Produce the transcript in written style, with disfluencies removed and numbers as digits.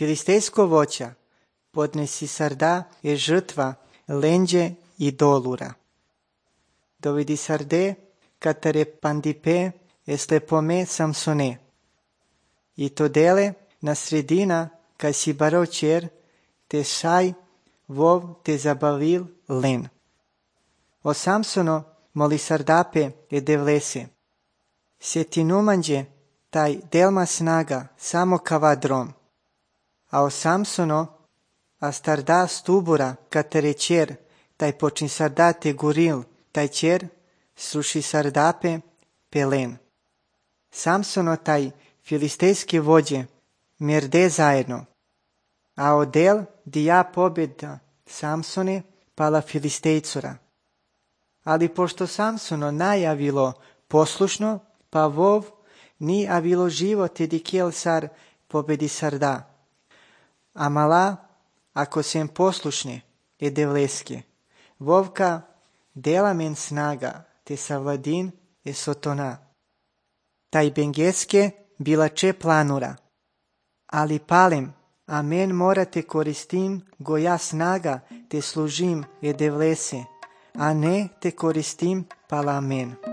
Филистејско воќа, поднеси сарда е жртва, ленđe и долура. Доведи сарде, катаре пандипе е слепоме Самсоне. И то деле на средина, кај си барочер, те шај, вов те забавил лен. О Самсоно, моли сардапе е девлесе. Се ти нуманđe, тај делма снага, само кава дром. А о Самсоно, а старда стубура, катаре чер, тај почин сарда те гурил, тај чер, сруши сардапе, пелен. Самсоно тај филистејски воđe, мерде заедно. А одел дија победа Самсоне пала филистејцура. Али пошто Самсоно најавило послушно, па вов ни авило живот еди кел сар победи сарда. Амала, ако сем послушне, е девлеске. Вовка дела мен снага, те савладин е сотона. Тај бенгеске била че планура. Али палем, а мен мора те користим, го ја снага, те служим е девлесе, а не те користим пала мен.